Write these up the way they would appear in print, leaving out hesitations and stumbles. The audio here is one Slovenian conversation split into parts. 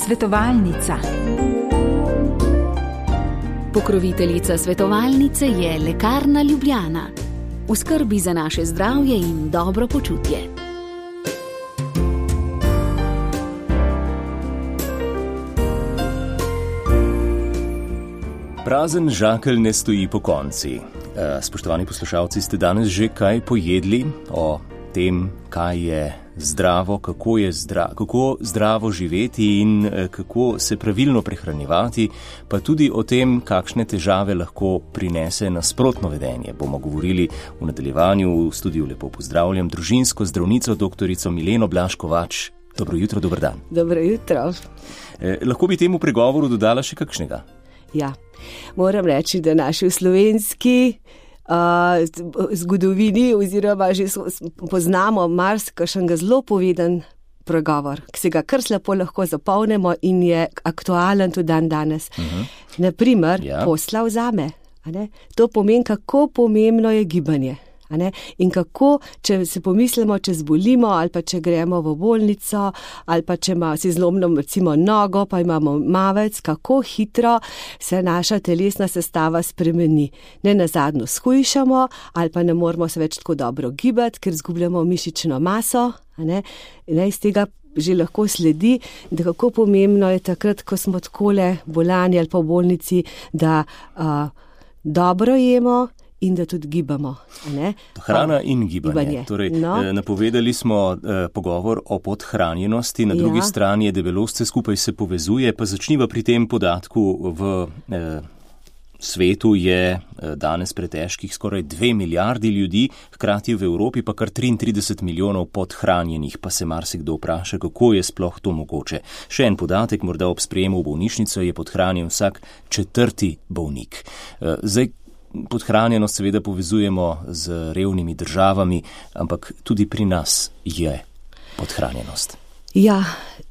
Svetovalnica. Pokroviteljica svetovalnice je Lekarna Ljubljana. V skrbi za naše zdravje in dobro počutje. Prazen žakelj ne stoji pokonci. Spoštovani poslušalci, ste danes že kaj pojedli o tem, kaj je zdravo, kako zdravo živeti in kako se pravilno prehranjevati, pa tudi o tem, kakšne težave lahko prinese nasprotno vedenje. Bomo govorili v nadaljevanju. V studiu lepo pozdravljam družinsko zdravnico doktorico Mileno Blaž-Kovač. Dobro jutro, dober dan. Dobro jutro. Lahko bi temu pregovoru dodala še kakšnega? Ja, moram reči, da naši v slovenski zgodovini oziroma že poznamo marsikakšnega zelo poveden pregovor, ki se ga kar lepo lahko zapolnimo in je aktualen tudi dan danes. Naprimer, posla vzame. To pomeni, kako pomembno je gibanje. In kako, če se pomislimo, če zbolimo ali pa če gremo v bolnico ali pa če si zlomimo recimo nogo, pa imamo mavec, kako hitro se naša telesna sestava spremeni. Ne nazadnje shujšamo ali pa ne moramo se več tako dobro gibati, ker izgubljamo mišično maso. In iz tega že lahko sledi, da kako pomembno je takrat, ko smo takole bolani ali pa v bolnici, da dobro jemo in da tudi gibamo. Hrana in gibanje. Torej, napovedali smo pogovor o podhranjenosti, na drugi strani je debelost, vse skupaj se povezuje, pa začniva pri tem podatku. V svetu je danes pretežkih skoraj 2 milijardi ljudi, hkrati v Evropi pa kar 33 milijonov podhranjenih, pa se marsikdo vpraša, kako je sploh to mogoče. Še en podatek, morda ob sprejemu v bolnišnico je podhranjen vsak 4. bolnik. Podhranjenost seveda povezujemo z revnimi državami, ampak tudi pri nas je podhranjenost. Ja,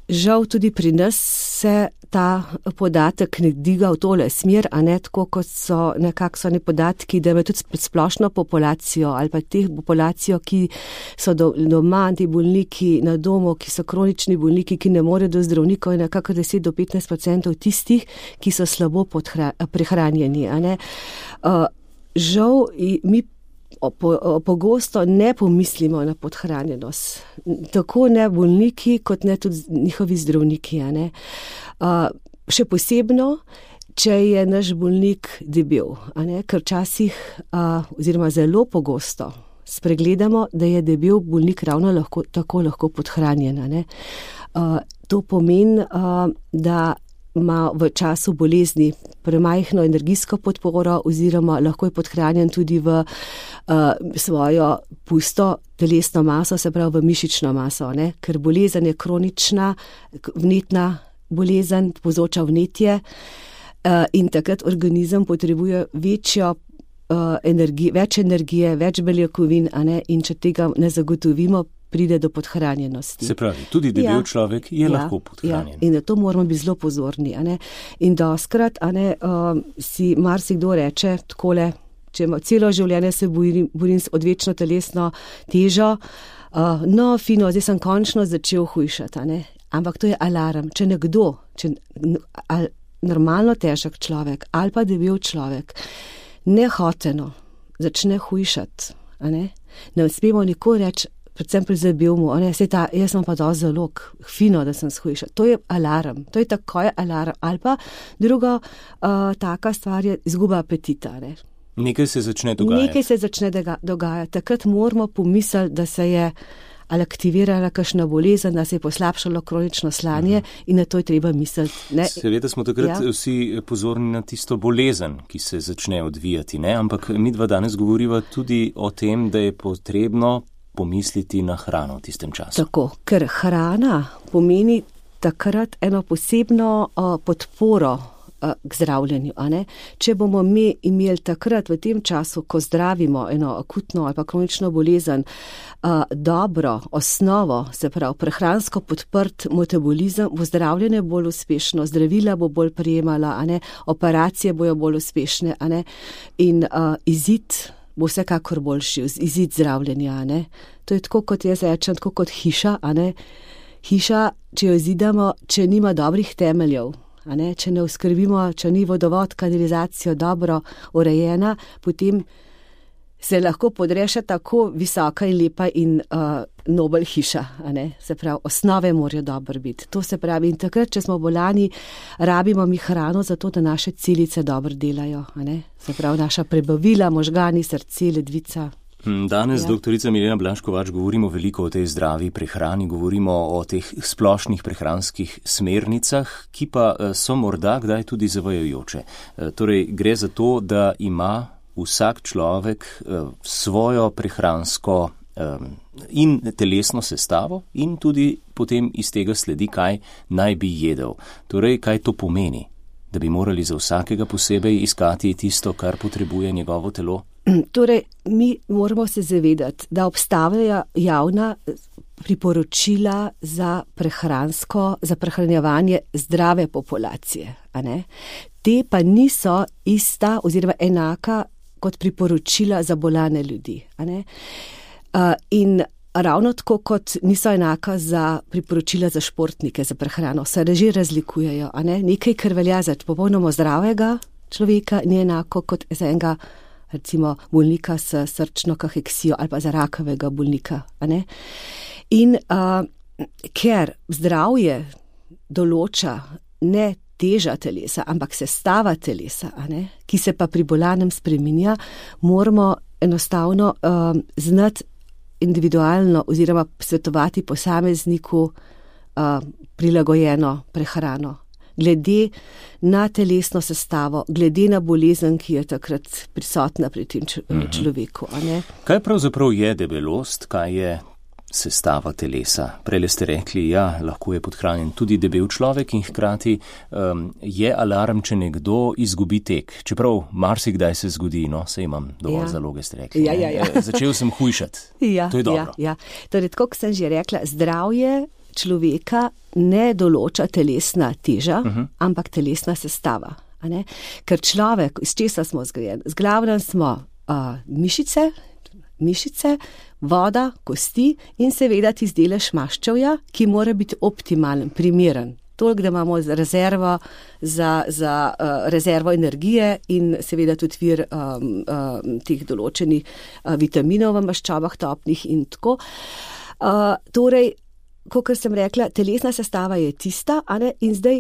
žal tudi pri nas se ta podatek ne dviga v tole smer, a ne tako, kot so nekakšni podatki, da ima tudi splošno populacijo ali pa teh populacijo, ki so doma, ti bolniki na domu, ki so kronični bolniki, ki ne morejo do zdravnikov, je nekako 10 do 15% tistih, ki so slabo prehranjeni. Žal mi pogosto ne pomislimo na podhranjenost. Tako ne bolniki, kot ne tudi njihovi zdravniki. Še posebno, če je naš bolnik debel. Ker včasih, oziroma zelo pogosto, spregledamo, da je debel bolnik ravno tako lahko podhranjen. To pomeni, da ima v času bolezni premajhno energijsko podporo oziroma lahko je podhranjen tudi v svojo pusto telesno maso, se pravi v mišično maso, ker bolezen je kronična, vnetna bolezen, povzroča vnetje in takrat organizem potrebuje več energije, več beljakovin, in če tega ne zagotovimo, pride do podhranjenosti. Se pravi, tudi debel človek je lahko podhranjen. In na to moramo biti zelo pozorni. In dostkrat si marsikdo reče takole, če celo življenje se borim s odvečno telesno težo, fino, zdaj sem končno začel hujšati. Ampak to je alarm. Če nekdo, normalno težak človek ali pa debel človek, nehoteno začne hujšati, ne smemo nikoli reči, predvsem pri debelmu, jaz sem pa dosti zalog, fino, da sem shujšal. To je alarm, to je takoj alarm. Ali pa druga taka stvar je izguba apetita. Nekaj se začne dogajati. Takrat moramo pomisliti, da se je aktivirala kakšna bolezen, da se je poslabšalo kronično slanje in na to je treba misliti. Seveda smo takrat vsi pozorni na tisto bolezen, ki se začne odvijati, ampak midva danes govoriva tudi o tem, da je potrebno pomisliti na hrano v tistem času. Tako, ker hrana pomeni takrat eno posebno podporo k zdravljenju. Če bomo mi imeli takrat v tem času, ko zdravimo eno akutno ali pa kronično bolezen, dobro osnovo, se pravi prehransko podprt metabolizem, bo zdravljenje bolj uspešno, zdravila bo bolj prijemala, operacije bojo bolj uspešne in izid bo vsekakor boljši, izid zdravljenja. To je tako, kot jaz rečem, tako kot hiša, hiša, če jo zidamo, če nima dobrih temeljev, če ne oskrbimo, če ni vodovod, kanalizacijo dobro urejena, potem se lahko podreša tako visoka in lepa in nobel hiša. Se pravi, osnove morajo dobro biti. To se pravi, in takrat, če smo bolani, rabimo mi hrano zato, da naše celice dobro delajo. Se pravi, naša prebavila, možgani, srce, ledvica. Danes, doktorica Milena Blaž-Kovač, govorimo veliko o tej zdravi prehrani, govorimo o teh splošnih prehranskih smernicah, ki pa so morda kdaj tudi zavajajoče. Torej, gre za to, da ima vsak človek svojo prehransko in telesno sestavo in tudi potem iz tega sledi, kaj naj bi jedel. Torej, kaj to pomeni? Da bi morali za vsakega posebej iskati tisto, kar potrebuje njegovo telo? Torej, mi moramo se zavedati, da obstajajo javna priporočila za prehranjevanje zdrave populacije. Te pa niso ista oziroma enaka kot priporočila za bolane ljudi. In ravno tako, kot niso enaka za priporočila za športnike, za prehrano, se že razlikujejo. Nekaj, kar velja za popolnoma zdravega človeka, ni enako kot za enega, recimo, bolnika s srčno kaheksijo ali pa za rakavega bolnika. In ker zdravje določa ne teža telesa, ampak sestava telesa, ki se pa pri bolanem spreminja, moramo enostavno znati individualno oziroma svetovati posamezniku prilagojeno prehrano. Glede na telesno sestavo, glede na bolezen, ki je takrat prisotna pri tem človeku. Kaj pravzaprav je debelost, kaj je sestava telesa? Prej ste rekli, lahko je podhranjen tudi debel človek in hkrati je alarm, če nekdo izgubi tek. Čeprav marsikdaj se zgodi, saj imam dovolj zaloge, ste rekli. Začel sem hujšati. To je dobro. Torej, tako sem že rekla, zdravje človeka ne določa telesna teža, ampak telesna sestava. Ker človek, iz česa smo zgrajeni? Zglavnem smo mišice, voda, kosti in seveda tisti delež maščevja, ki mora biti optimalen, primeren. Toliko, da imamo rezervo za rezervo energije in seveda tudi vir teh določenih vitaminov v maščobah topnih in tako. Torej, kakor sem rekla, telesna sestava je tista, in zdaj,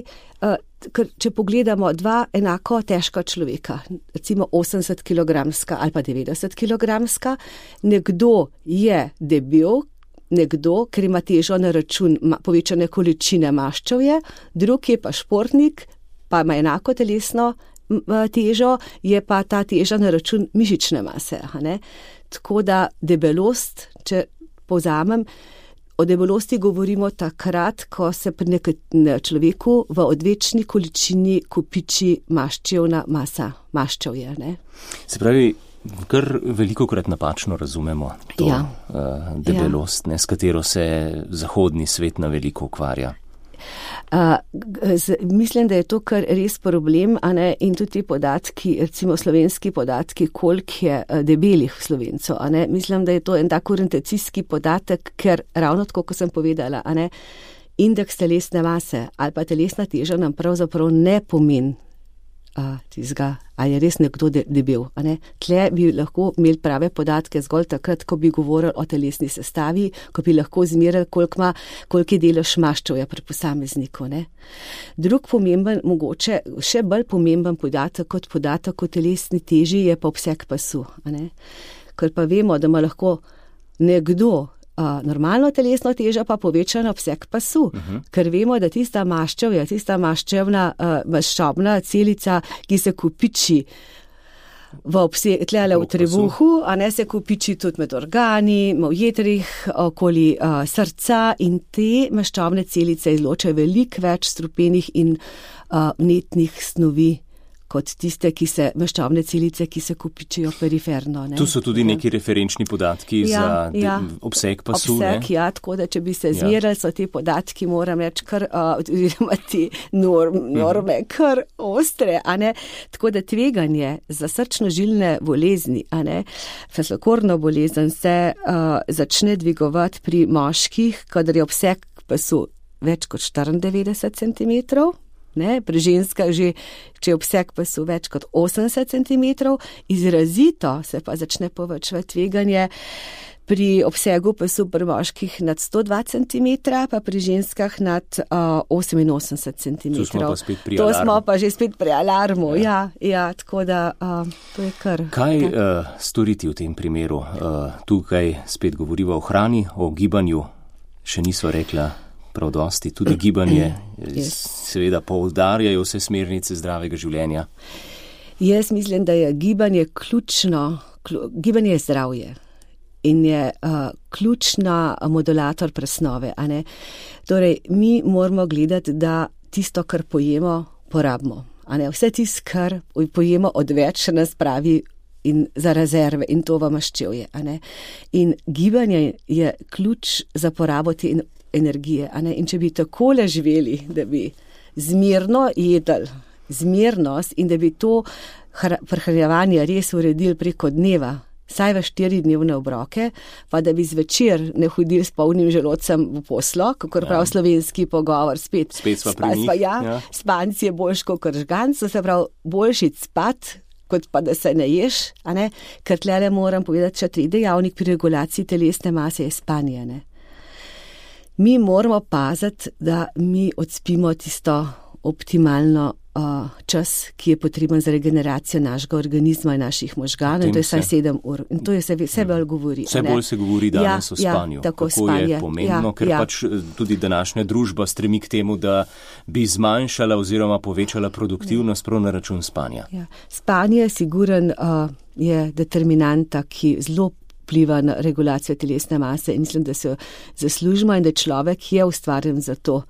če pogledamo dva enako težka človeka, recimo 80 kilogramska ali pa 90 kilogramska, nekdo je debel, nekdo, ker ima težo na račun povečane količine maščevja, drug je pa športnik, pa ima enako telesno težo, je pa ta teža na račun mišične mase. Tako da debelost, če povzamem, o debelosti govorimo takrat, ko se pri človeku v odvečni količini kopiči maščevna masa, maščevje. Se pravi, kar velikokrat napačno razumemo to debelost, s katero se zahodni svet na veliko ukvarja. Mislim, da je to kar res problem, in tudi podatki, recimo slovenski podatki, koliko je debelih Slovencov. Mislim, da je to en tak orientacijski podatek, ker ravno tako, kot sem povedala, indeks telesne mase ali pa telesna teža nam pravzaprav ne pomeni tizga, ali je res nekdo debel. Tle bi lahko imeli prave podatke zgolj takrat, ko bi govorili o telesni sestavi, ko bi lahko izmerili, koliko je delež maščevja pri posamezniku. Drug pomemben, mogoče še bolj pomemben podatek kot podatek o telesni teži je pa obseg pasu. Ker pa vemo, da ima lahko nekdo normalno telesno težo pa povečan obseg pasu, ker vemo, da tista maščevja, tista maščobna celica, ki se kopiči tlele v trebuhu, se kopiči tudi med organi, v jetrih, okoli srca, in te maščobne celice izločajo veliko več strupenih in vnetnih snovi kot tiste, maščobne celice, ki se kopičijo periferno. Tu so tudi neki referenčni podatki za obseg pasu. Obseg, tako da če bi se zmerali, so te podatki, moram reči, oziroma te norme kar ostre. Tako da tveganje za srčno-žilne bolezni, fascikorno bolezen se začne dvigovati pri moških, kadar je obseg pasu več kot 94 cm, pri ženskah že, če je obseg pasu več kot 80 cm, izrazito se pa začne povečevati tveganje pri obsegu pasu pri moških nad 102 cm, pa pri ženskah nad 88 cm. To smo pa že spet pri alarmu, ja, tako da to je kar. Kaj storiti v tem primeru? Tukaj spet govoriva o hrani, o gibanju, še niso rekla prav dosti, tudi gibanje, seveda poudarjajo vse smernice zdravega življenja. Jaz mislim, da je gibanje ključno, gibanje je zdravje. In je ključna modulator presnove. Torej, mi moramo gledati, da tisto, kar pojemo, porabimo. Vse tisto, kar pojemo odveč, nas pravi in za rezerve in to v maščevje. In gibanje je ključ za porabo te energije. In če bi takole živeli, da bi zmerno jedli, zmernost in da bi to prehranjevanje res uredili preko dneva, saj v 4-dnevne obroke, pa da bi zvečer ne hodili s polnim želodcem v poslo, kakor prav slovenski pogovor, spet sva pri njih. Spanc je boljš kot žganc, se pravi boljši spat, kot pa da se ne ješ, ker tlele moram povedati, še 3 dejavnik pri regulaciji telesne mase je spanje. Mi moramo paziti, da mi odspimo tisto optimalno čas, ki je potreben za regeneracijo našega organizma in naših možganov, in to je vsaj 7 ur. In to je vse bolj govori. Vse bolj se govori danes o spanju. Kako je pomembno, ker pač tudi današnja družba stremi k temu, da bi zmanjšala oziroma povečala produktivnost prav na račun spanja. Spanje siguren je determinanta, ki zelo vpliva na regulacijo telesne mase in mislim, da se zaslužimo in da človek je ustvarjen za to,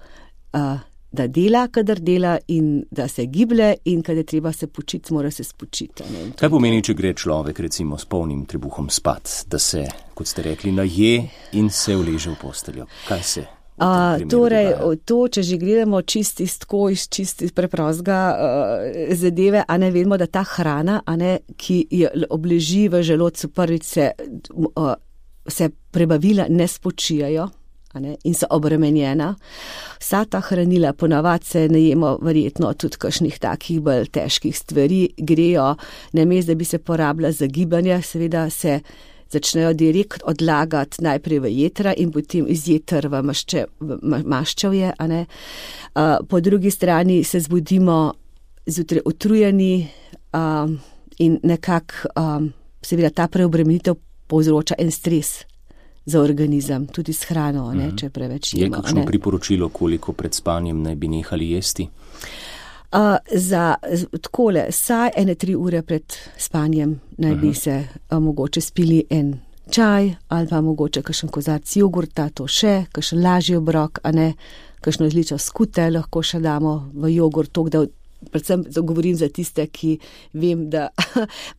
da dela, kadar dela in da se giblje in kadar treba se počiti, mora se spočiti. Kaj pomeni, če gre človek recimo s polnim trebuhom spat, da se, kot ste rekli, naje in se uleže v posteljo? Kaj se torej, to, če že gledamo čisti stko iz čisti preprostega zadeve, vemo, da ta hrana, ki je obleži v želodcu, prvič se prebavila ne spočijajo, in so obremenjena. Vsa ta hranila, ponavad se najemo verjetno tudi kakšnih takih bolj težkih stvari, grejo, namesto da bi se porabila za gibanje, seveda se začnejo direkt odlagati najprej v jetra in potem iz jeter v maščevje. Po drugi strani se zbudimo zjutraj utrujeni in nekako seveda ta preobremenitev povzroča en stres za organizem, tudi s hrano, če preveč jemo. Je kakšno priporočilo, koliko pred spanjem naj bi nehali jesti? Takole, saj 1-3 ure pred spanjem naj bi se mogoče spili en čaj ali pa mogoče kakšen kozarc jogurta, to še, kakšen lažji obrok, kakšno izličo skute lahko še damo v jogurt, da predvsem govorim za tiste, ki vem, da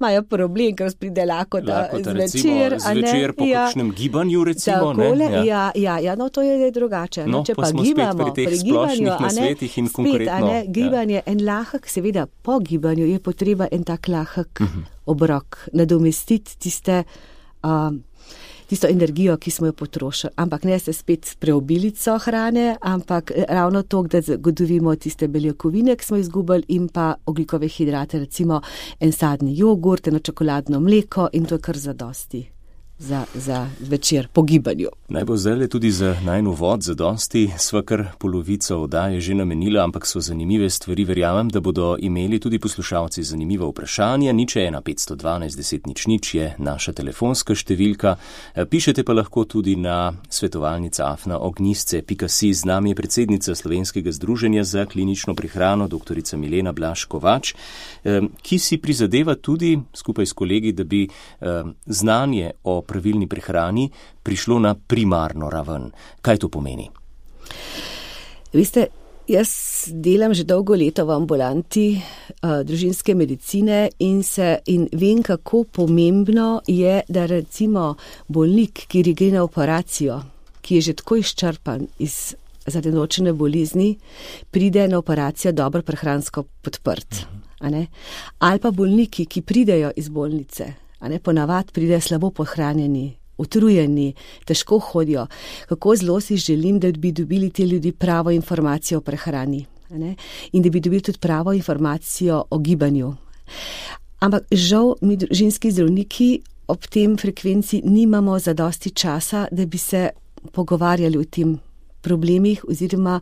imajo problem, ker pride lakota zvečer. Zvečer po kakšnem gibanju recimo. Takole, no to je drugače. No, če pa smo gibamo, spet pri teh splošnih nasvetih in konkretno. Gibanje, en lahek, seveda po gibanju je potreba en tak lahek obrok, nadomestiti tisto energijo, ki smo jo potrošili. Ampak ne se spet preobilico hrane, ampak ravno to, da zagotovimo tiste beljakovine, ki smo izgubili, in pa ogljikove hidrate, recimo en sadni jogurt, eno čokoladno mleko in to je kar zadosti za večer po gibanju. Naj bo zdaj tudi za najin uvod zadosti, sva kar polovico oddaje že namenila, ampak so zanimive stvari, verjamem, da bodo imeli tudi poslušalci zanimiva vprašanja. 01512 10 00 je naša telefonska številka. Pišete pa lahko tudi na svetovalnica@ognjisce.si. Z nami je predsednica Slovenskega združenja za klinično prehrano, doktorica Milena Blaž Kovač, ki si prizadeva tudi skupaj s kolegi, da bi znanje o pravilni prehrani prišlo na primarno raven. Kaj to pomeni? Veste, jaz delam že dolgo leto v ambulanti družinske medicine in vem, kako pomembno je, da recimo bolnik, ki gre na operacijo, ki je že tako izčrpan zaradi določene bolezni, pride na operacijo dobro prehransko podprt. Ali pa bolniki, ki pridejo iz bolnice, ponavad pridejo slabo pohranjeni utrujeni, težko hodijo. Kako zelo si želim, da bi dobili ti ljudi pravo informacijo o prehrani, ne? In da bi dobili tudi pravo informacijo o gibanju. Ampak žal mi družinski zdravniki ob tem frekvenci nimamo zadosti časa, da bi se pogovarjali o tem problemih oziroma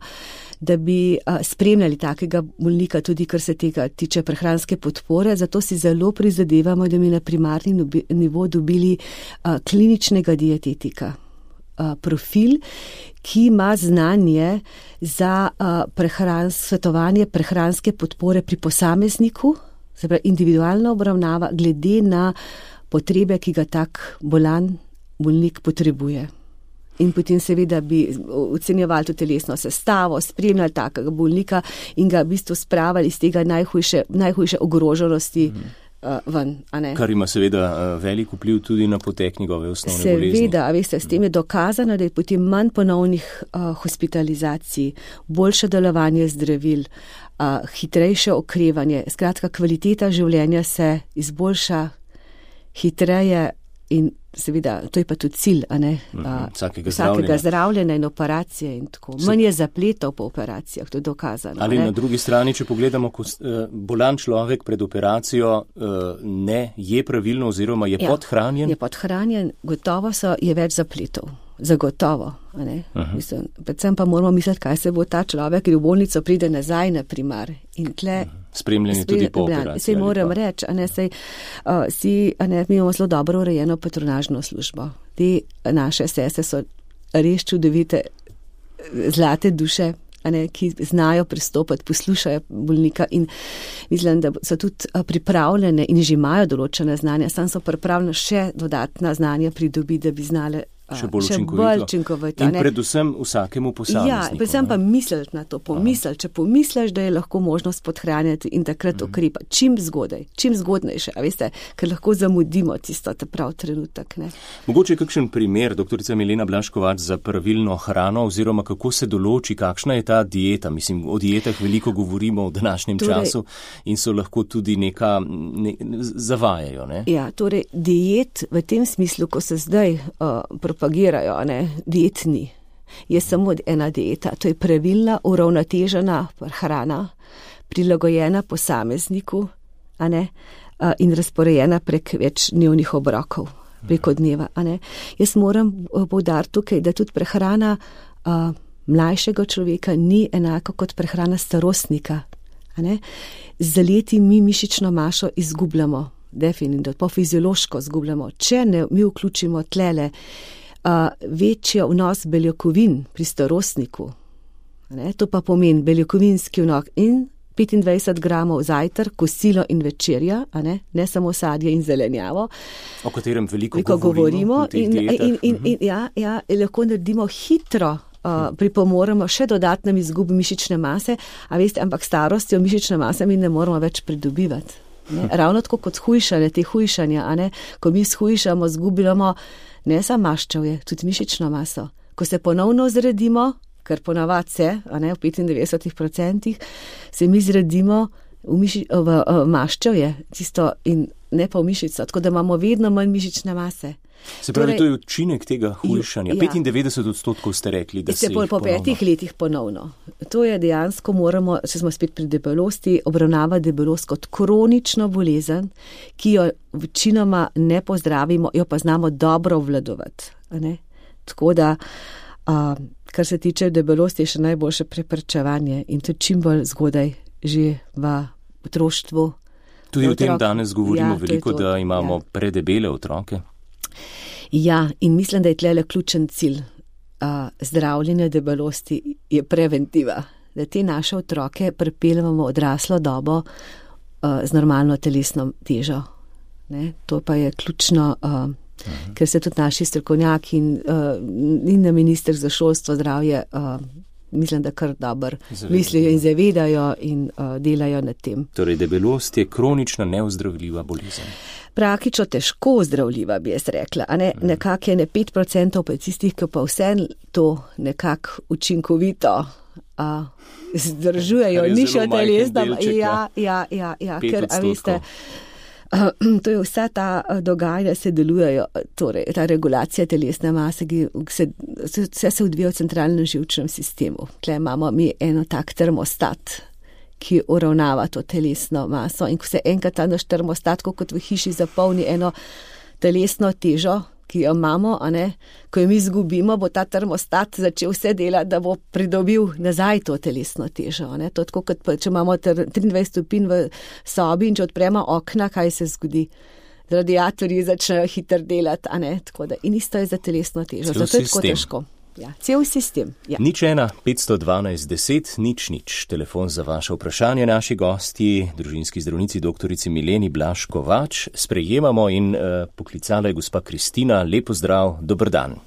da bi spremljali takega bolnika tudi, kar se tega tiče prehranske podpore. Zato si zelo prizadevamo, da bi na primarni nivo dobili kliničnega dietetika. Profil, ki ima znanje za svetovanje prehranske podpore pri posamezniku, se pravi individualna obravnava glede na potrebe, ki ga tak bolnik potrebuje. In potem seveda bi ocenjevali tudi telesno sestavo, spremljali takega bolnika in ga v bistvu spravili iz tega najhujše ogroženosti ven. A ne? Kar ima seveda velik vpliv tudi na potek njegove osnovne bolezni. Seveda, veste, s tem je dokazano, da je potem manj ponovnih hospitalizacij, boljše delovanje zdravil, hitrejše okrevanje, skratka kvaliteta življenja se izboljša hitreje in seveda, to je pa tudi cilj, a ne? Vsakega zdravljenja in operacije in tako. Manj je zapletov po operacijah, to je dokazano. Ali na drugi strani, če pogledamo, ko bolan človek pred operacijo ne je pravilno oziroma je podhranjen? Je podhranjen, gotovo je več zapletov. Zagotovo. A ne? Mislim, predvsem pa moramo misliti, kaj se bo ta človek, ki v bolnico pride nazaj, na primar. In tle spremljanje tudi po operaciji. Sej moram reči, mi imamo zelo dobro urejeno patronažno službo. Te naše sestre so res čudovite, zlate duše, ki znajo pristopati, poslušajo bolnika in mislim, da so tudi pripravljene in že imajo določene znanja, sam so pripravljene še dodatna znanja pridobiti, da bi znale še bolj učinkovito. In predvsem vsakemu posamezniku. Ja, predvsem pa misliti na to, če pomisliš, da je lahko možnost podhranjati in takrat ukrepa. Čim zgodnejše, a veste, ker lahko zamudimo tisto prav trenutek. Ne? Mogoče kakšen primer, doktorica Milena Blaž-Kovač, za pravilno hrano oziroma kako se določi, kakšna je ta dieta. Mislim, o dietah veliko govorimo v današnjem času in so lahko tudi zavajajo. Ne? Ja, torej diet v tem smislu, ko se zdaj propagirajo, diet ni. Je samo ena dieta, to je pravilna, uravnotežena hrana, prilagojena posamezniku, in razporejena prek več dnevnih obrokov, preko dneva. Jaz moram poudariti tukaj, da tudi prehrana mlajšega človeka ni enako kot prehrana starostnika. Z leti mi mišično mašo izgubljamo, definitivno, po fiziološko izgubljamo. Če ne mi vključimo tlele večji vnos beljakovin pri starostniku, to pa pomeni beljakovinski vnos in 25 gramov zajtrk, kosilo in večerja, ne samo sadje in zelenjavo, o katerem veliko govorimo lahko naredimo hitro, pripomoremo še dodatnem izgubi mišične mase, ampak starostjo mišične mase mi ne moramo več pridobivati. Ravno tako kot te hujšanja, ko mi shujšamo, zgubljamo ne samo maščevje, tudi mišično maso. Ko se ponovno zredimo, kar ponavadi se, v 95%, se mi zredimo v maščevje, tisto in ne pa v mišico, tako da imamo vedno manj mišične mase. Se pravi, to je učinek tega hujšanja. 95% ste rekli, da se jih ponovno. Po 5 letih ponovno. To je dejansko moramo, če smo spet pri debelosti, obravnavati debelost kot kronično bolezen, ki jo večinoma ne pozdravimo, jo pa znamo dobro obvladovati. Tako da, kar se tiče debelosti, je še najboljše preprečevanje in to čim bolj zgodaj že v otroštvu. Tudi o tem danes govorimo veliko, da imamo predebele otroke. Ja, in mislim, da je tlele ključen cilj zdravljenja debelosti je preventiva, da te naše otroke pripeljamo odraslo dobo z normalno telesno težo. To pa je ključno, ker se tudi naši strokovnjaki in na minister za šolstvo, zdravje, mislim, da kar dobro mislijo in zavedajo in delajo nad tem. Torej, debelost je kronična neozdravljiva bolezen. Praktično težko ozdravljiva, bi jaz rekla. Nekako je 5% pa tistih, ki pa vse to nekako učinkovito zdržujejo, nišjo telesno. Ja, ker, veste, To je vsa ta dogajanja se delujejo, torej ta regulacija telesne mase, vse se odvija v centralnem živčnem sistemu. Tukaj imamo mi eno tak termostat, ki uravnava to telesno maso in ko se enkrat ta naš termostat, kot v hiši, zapolni eno telesno težo, ki jo imamo, ko jo mi izgubimo, bo ta termostat začel vse delati, da bo pridobil nazaj to telesno težo. To je tako, kot če imamo 23 stopinj v sobi in če odpremo okna, kaj se zgodi? Radiatorji začnejo hitro delati, tako da in isto je za telesno težo. Zato je tako težko. Ja, cel sistem. Ja. 0,1-512 10 000, telefon za vaše vprašanje. Naši gosti, družinski zdravnici doktorici Mileni Blaž Kovač, sprejemamo in poklicala je gospa Kristina. Lepo zdrav, dober dan.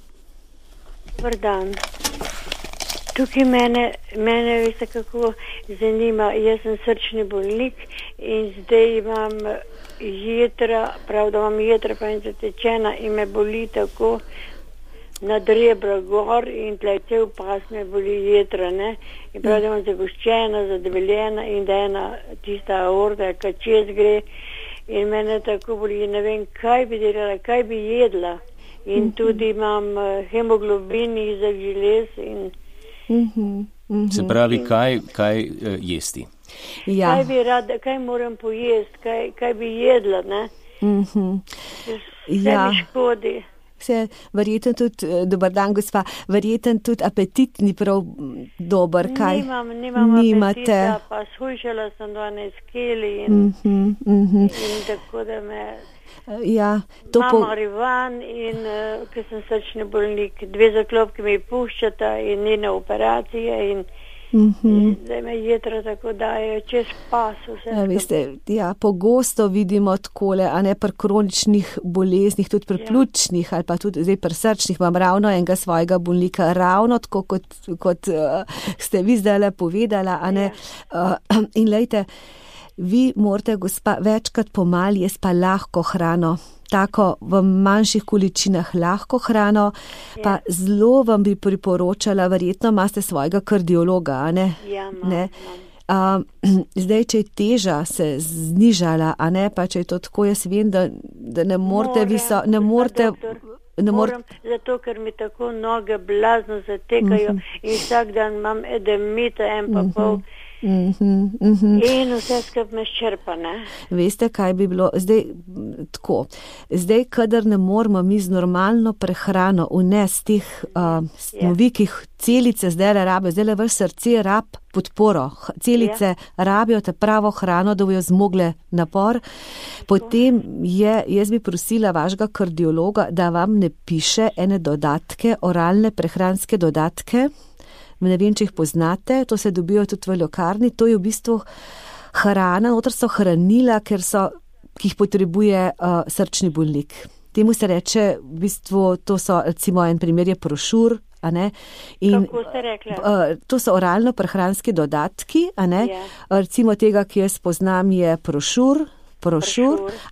Dober dan. Tukaj mene veste, kako zanima, jaz sem srčni bolnik in zdaj imam jedra, prav da imam jedra pa in zatečena in me boli tako nad rebra gor in tle cel pas me boli jedra, in prav da imam zagoščena, zadebeljena in da ena tista aorta, kad čez gre in mene tako boli, ne vem, kaj bi delala, kaj bi jedla in tudi imam hemoglobin izak želez in Se pravi, kaj jesti? Ja. Kaj bi rada, kaj moram pojesti, kaj bi jedla, Vse mi škodi. Vse, verjetno tudi, dober dan, gospa, verjetno tudi apetit ni prav dober, kaj? Nimam apetita, pa shujšala sem 12 kili in tako da me... Ja, imam arivan in ker sem srčni bolnik, 2 zaklopki mi puščata in ni na operacije in zdaj me jedra tako dajo čez pas vse. Veste, pogosto vidimo takole, a ne pri kroničnih boleznih, tudi pri pljučnih ali pa tudi zdaj pri srčnih, imam ravno enega svojega bolnika, ravno tako kot ste vi zdaj povedala, a ne, in lejte, vi morate, gospa, večkrat pomali jesti pa lahko hrano, tako v manjših količinah lahko hrano, pa zelo vam bi priporočala, verjetno imate svojega kardiologa, a ne? Ja, imam. Zdaj, če je teža se znižala, a ne, pa če je to tako, jaz vem, da ne morete Moram, zato ker mi tako noge blazno zatekajo in vsak dan imam edemita 1,5 in vse skup me ščerpa, Veste, kaj bi bilo zdaj tako? Zdaj, kadar ne moramo mi z normalno prehrano vnesti teh snovi, ki celice zdaj rabijo, zdaj vaš srce rab podporo, celice rabijo te pravo hrano, da bojo zmogle napor, potem jaz bi prosila vašega kardiologa, da vam ne piše ene dodatke, oralne prehranske dodatke. Ne vem, če jih poznate, to se dobijo tudi v lekarni, to je v bistvu hrana, noter so hranila, ki jih potrebuje srčni bolnik. Temu se reče, v bistvu, to so, recimo, en primer je prošur, a ne? In, kako ste rekli? To so oralno prehranski dodatki, a ne? Recimo tega, ki jaz poznam, je prošur,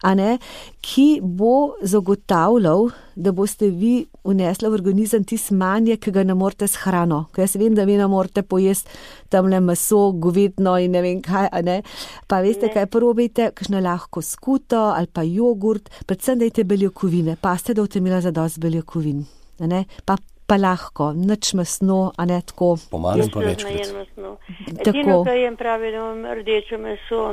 a ne, ki bo zagotavljal, da boste vi vnesli v organizem tisto manje, ki ga ne morete s hrano. Ker jaz vem, da vi ne morete pojesti tamle meso, govedno in ne vem kaj, a ne. Pa veste, kaj probajte, kakšno lahko skuto ali pa jogurt, predvsem dajte beljakovine, paste, da boste imela zadosti beljakovin, a ne, pa lahko, nič mesno, a ne tako. Pomalim pa večkrat. Edino, kaj jem pravi, da imam rdečo meso,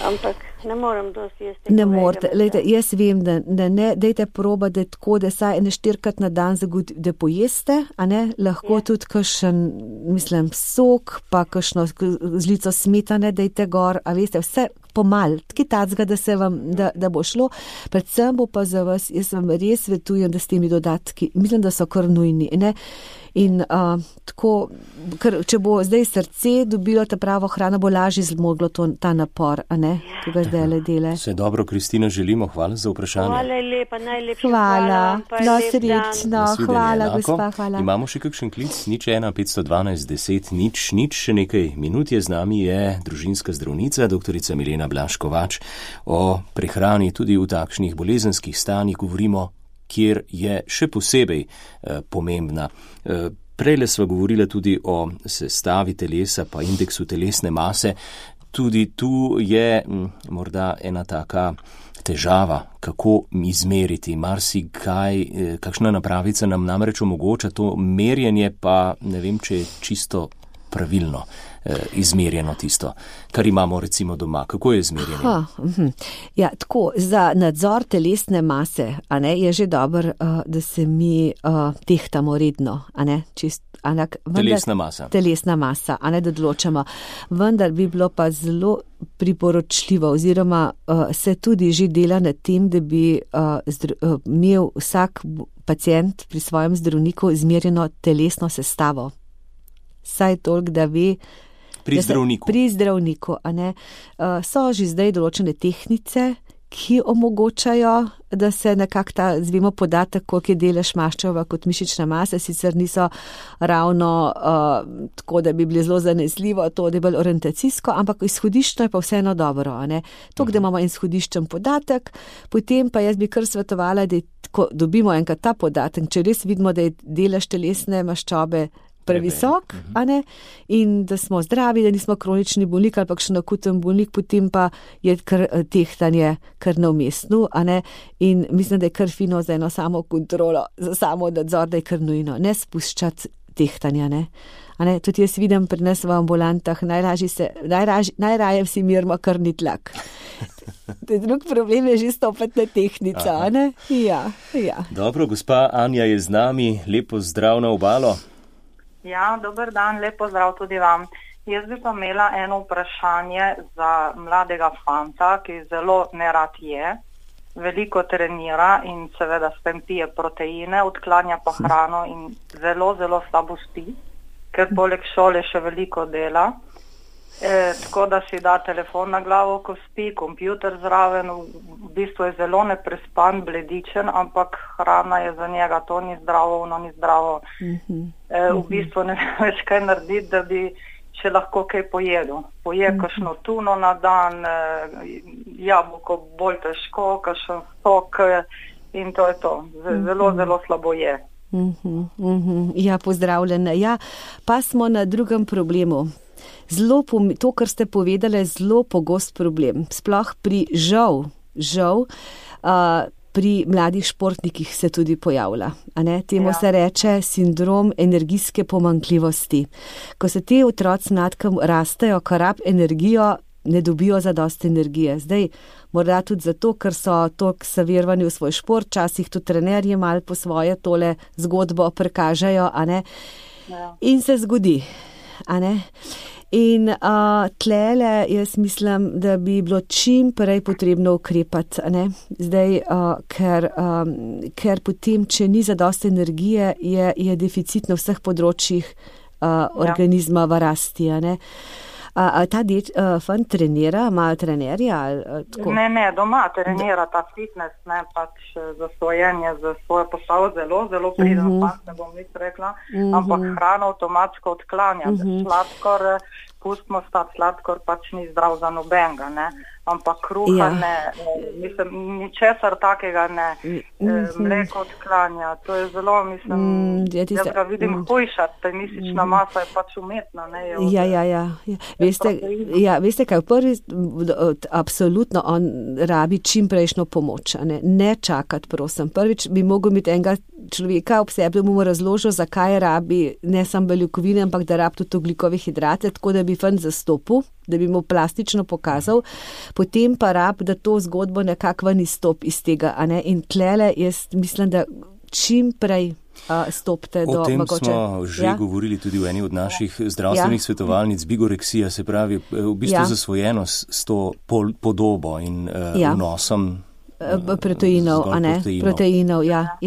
ampak ne moram dosti jesti. Ne morate, lejte, jaz vem, da ne, dejte proba, da je tako, da saj 4-krat na dan da pojeste, a ne, lahko tudi kakšen, sok, pa kakšno žlico smetane, dejte gor, a veste, vse pomal, taki tacga, da se vam, da bo šlo, predvsem bo pa za vas, jaz vam res svetujem, da s temi dodatki, mislim, da so kar nujni, ne, in tako, ker če bo zdaj srce dobilo ta pravo hrano, bo lažje zmoglo ta napor, a ne, ki ga zdaj le dele. Vse dobro, Kristina, želimo, hvala za vprašanje. Hvala lepa, najlepša hvala. Srečno, hvala, gospa, hvala. Imamo še kakšen klic, 0,1-512 10 000, še nekaj minut je z nami, je družinska zdravnica, doktorica Milena Blaž Kovač. O prehrani tudi v takšnih bolezenskih stanjih govorimo, kjer je še posebej pomembna. Prejle sva govorila tudi o sestavi telesa pa indeksu telesne mase. tudi tu je morda ena taka težava, kako izmeriti marsikaj, kakšna napravica nam namreč omogoča to merjenje, pa ne vem, če je čisto pravilno izmerjeno tisto, kar imamo recimo doma. Kako je izmerjeno? Ja, tako, za nadzor telesne mase, a ne, je že dobro, da se mi tehtamo redno, a ne, telesna masa, a ne, da odločamo. Vendar bi bilo pa zelo priporočljivo, oziroma se tudi že dela na tem, da bi imel vsak pacient pri svojem zdravniku izmerjeno telesno sestavo. Saj toliko, da ve, pri zdravniku, a ne. So že zdaj določene tehnice, ki omogočajo, da se nekako ta, zvemo podatek, koliko je delež maščeva kot mišična masa, sicer niso ravno tako, da bi bili zelo zanesljivo, to je bolj orientacijsko, ampak izhodiščno je pa vseeno dobro, a ne. Tok, da imamo izhodiščen podatek, potem pa jaz bi kar svetovala, da ko dobimo enkrat ta podatek, če res vidimo, da je delež telesne maščobe previsok, a ne, in da smo zdravi, da nismo kronični bolnik ali pa še akuten bolnik, potem pa je kar tehtanje kar na umestnu, a ne, in mislim, da je kar fino za eno samo kontrolo, za samo nadzor, da je kar nujno, ne spuščati tehtanja, ne. A ne, tudi jaz vidim pri nas v ambulantah, najraje si mirimo krvni tlak. Drug problem je že stopati na tehnica, a ne? Ja. Dobro, gospa Anja je z nami, lepo zdrav na obalo. Ja, dober dan, lep pozdrav tudi vam. Jaz bi pa imela eno vprašanje za mladega fanta, ki zelo nerad je, veliko trenira in seveda s tem pije proteine, odklanja pa hrano in zelo, zelo slabo spi, ker poleg šole še veliko dela. Tako da si da telefon na glavo, ko spi, kompjuter zraven, v bistvu je zelo neprespan, bledičen, ampak hrana je za njega, to ni zdravo, ono ni zdravo. V bistvu ne vem več kaj narediti, da bi še lahko kaj pojedel. Poje kakšno tuno na dan, jabolko bolj težko, kakšen sok in to je to. Zelo, zelo slabo je. Ja, pozdravljena. Ja, pa smo na drugem problemu. To, kar ste povedali, je zelo pogost problem. Sploh žal, pri mladih športnikih se tudi pojavlja. Temu se reče sindrom energijske pomanjkljivosti. Ko se te otroci mladkem rastejo, ko rab energijo, ne dobijo zadosti energije. Zdaj, morda tudi zato, ker so toliko zavirvani v svoj šport, časih tudi trenerji malo po svoje tole zgodbo prikažejo, in se zgodi, In tlele jaz mislim, da bi bilo čim prej potrebno ukrepati, Zdaj, ker potem, če ni zadosti energije, je deficit na vseh področjih organizma v rasti, Ta fant trenira, ima trenerja? Ne, doma trenira ta fitness, pač zasvojenje za svojo postavo zelo, zelo priden fant, ne bom nič rekla, ampak hrano avtomatsko odklanja. Sladkor, pustimo stati, sladkor pač ni zdrav za nobenega, ampak kruha ne, mislim, ničesar takega ne, mleko odklanja, to je zelo, mislim, jaz ga vidim hujšati, ta mišična masa je pač umetna, Ja. Veste kaj, prvi, absolutno on rabi čim prejšnjo pomoč, ne čakati, prosim. Prvič bi mogel imeti enega človeka ob sebi, da mu razložil, zakaj rabi ne samo beljakovine, ampak da rabi tudi ogljikove hidrate, tako da bi fant zastopil, da bi mu plastično pokazal, potem pa rab, da to zgodbo nekako ven izstop iz tega, In tlele, jaz mislim, da čim prej stopite do mogoče. O tem smo že govorili tudi v eni od naših zdravstvenih svetovalnic, bigoreksija, se pravi, v bistvu zasvojenost s to podobo in vnosom proteinov, proteinov, ja.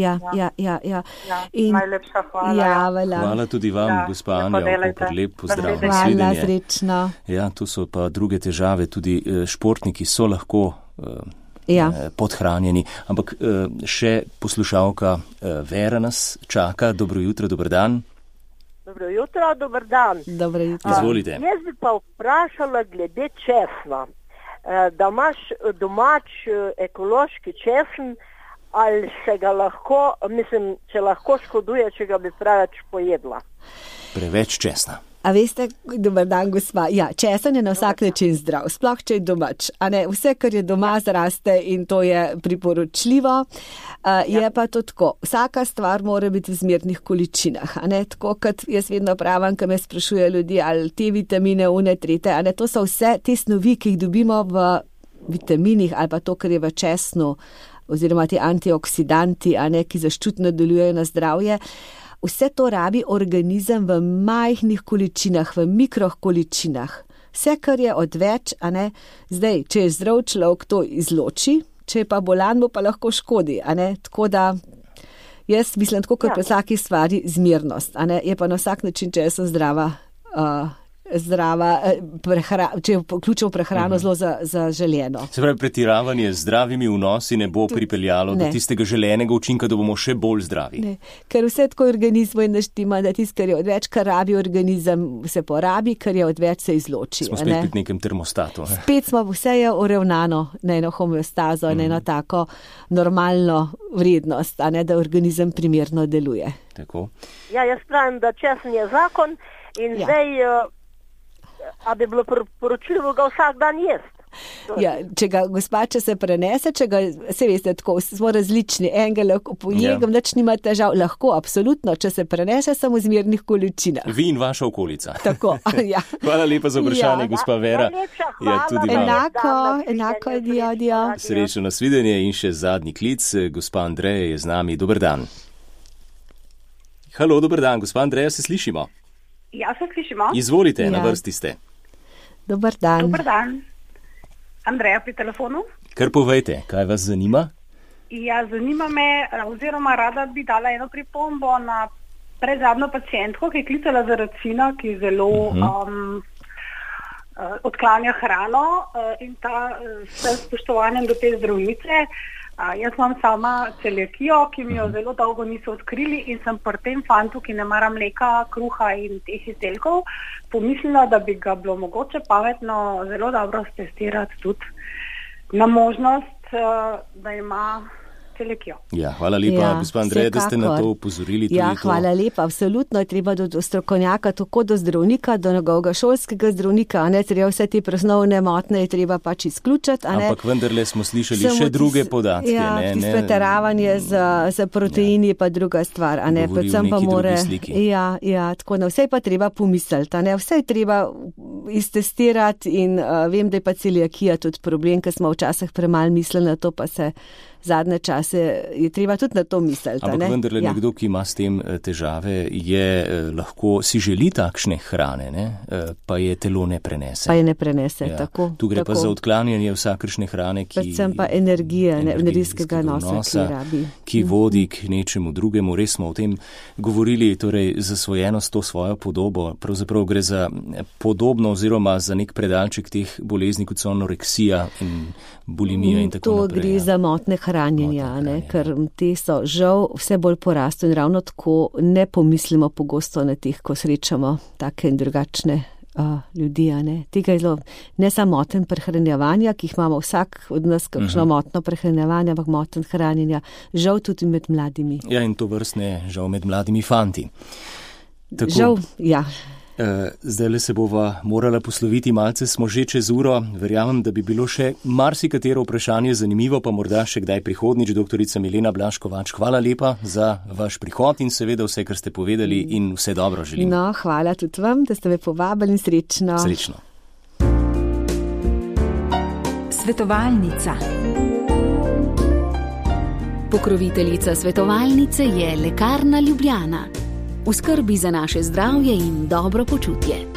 Najlepša hvala. Hvala tudi vam, gospa Anja, lep pozdrav. Hvala, srečno. Ja, tu so pa druge težave, tudi športniki so lahko podhranjeni, ampak še poslušalka Vera nas čaka. Dobro jutro, dober dan. Dobro jutro, dober dan. Dobro jutro. Izvolite. Jaz bi pa vprašala glede česna. Da imaš domač ekološki česen, ali se ga lahko, mislim, če lahko škoduje, če ga bi preveč pojedla. Preveč česna. A veste, dober dan, gospa. Ja, česen je na vsak način zdrav, sploh če je domač. A ne, vse, kar je doma, zraste in to je priporočljivo. Je pa to tako. Vsaka stvar mora biti v zmernih količinah. A ne, tako kot jaz vedno pravim, ko me sprašuje ljudi, ali te vitamine, une, trete. A ne, to so vse te snovi, ki jih dobimo v vitaminih ali pa to, kar je v česnu, oziroma ti antioksidanti, a ne, ki zaščitno delujejo na zdravje. Vse to rabi organizem v majhnih količinah, v mikrokoličinah. Vse, kar je odveč, a ne, zdaj, če je zdrav človek, to izloči, če je pa bolan, mu pa lahko škodi, a ne, tako da jaz mislim, tako kot pri vsaki stvari, zmernost, a ne, je pa na vsak način, če sem zdrava, če vključimo prehrano zelo zaželjeno. Se pravi, pretiravanje z zdravimi vnosi ne bo pripeljalo do tistega želenega učinka, da bomo še bolj zdravi. Ne, ker vse tako organizmu je naštima, da tisto, kar je odveč, kar rabi organizem, se porabi, kar je odveč, se izloči. Smo spet pri nekem termostatu. Spet smo, vse je uravnano na eno homeostazo, na eno tako normalno vrednost, a ne, da organizem primerno deluje. Tako. Ja, jaz pravim, da česen je zakon in zdaj a bi bilo poročljivo ga vsak dan jesti. Ja, če se prenese, se veste, tako smo različni, enega lahko pojegam, nič nima težav, lahko, absolutno, če se prenese samo v zmernih količinah. Vi in vaša okolica. Tako, ja. Hvala lepa za vprašanje, gospa Vera. Enako, dio. Srečno nasvidenje in še zadnji klic, gospa Andreja je z nami, dober dan. Halo, dober dan, gospa Andreja, se slišimo? Ja, se slišimo. Izvolite, na vrsti ste. Dobar dan. Dobar dan. Andreja pri telefonu. Kar povejte, kaj vas zanima? Ja, zanima me, oziroma rada bi dala eno pripombo na predzadnjo pacientko, ki je klicala zaradi sina, ki zelo odklanja hrano in ta s spoštovanjem do te zdravnice. Jaz imam sama celiakijo, ki mi jo zelo dolgo niso odkrili in sem pri tem fantu, ki ne mara mleka, kruha in teh izdelkov, pomislila, da bi ga bilo mogoče pametno zelo dobro stestirati tudi na možnost, da ima celiakijo. Ja, hvala lepa, gospa Andreja, da ste na to upozorili. Ja, hvala lepa, absolutno je treba do strokovnjaka, tako do zdravnika, do njegovega šolskega zdravnika, a ne, treba vse te presnovne motne je treba pač izključiti, a ne. Ampak vendarle smo slišali še druge podatke, ja, ne. Ja, pretiravanje z proteini je pa druga stvar, a ne, predvsem pa more. Ja, tako na vse pa treba pomisliti, a ne, vse je treba iztestirati in vem, da je pa celiakija tudi problem, ker smo včasih premalo mislili na to, pa se zadnje čase je treba tudi na to misliti. Ampak vendarle nekdo, ki ima s tem težave, lahko si želi takšne hrane, ne? Pa je telo ne prenese. Tako. Tu gre pa za odklanjanje vsakršne hrane, predvsem pa energijskega nosa, ki vodi k nečemu drugemu. Res smo o tem govorili, torej zasvojenost, to svojo podobo. Pravzaprav gre za podobno oziroma za nek predalček teh bolezni, kot so anoreksija in bulimija in tako naprej. To gre za motne hranjenja, ker te so žal vse bolj porastu in ravno tako ne pomislimo pogosto na teh, ko srečamo take in drugačne ljudi. Tega je zelo ne samo moten prehranjevanja, ki jih imamo vsak od nas, kakšno motno prehranjevanje, ampak moten hranjenja, žal tudi med mladimi. Ja, in to vrstne žal med mladimi fanti. Tako, žal, ja. Zdajle se bova morala posloviti, malce smo že čez uro. Verjamem, da bi bilo še marsikatero vprašanje zanimivo, pa morda še kdaj prihodnič. Doktorica Milena Blaž-Kovač, hvala lepa za vaš prihod in seveda vse, kar ste povedali in vse dobro želim. No, hvala tudi vam, da ste me povabili in srečno. Srečno. Svetovalnica. Pokroviteljica svetovalnice je Lekarna Ljubljana. V skrbi za naše zdravje in dobro počutje.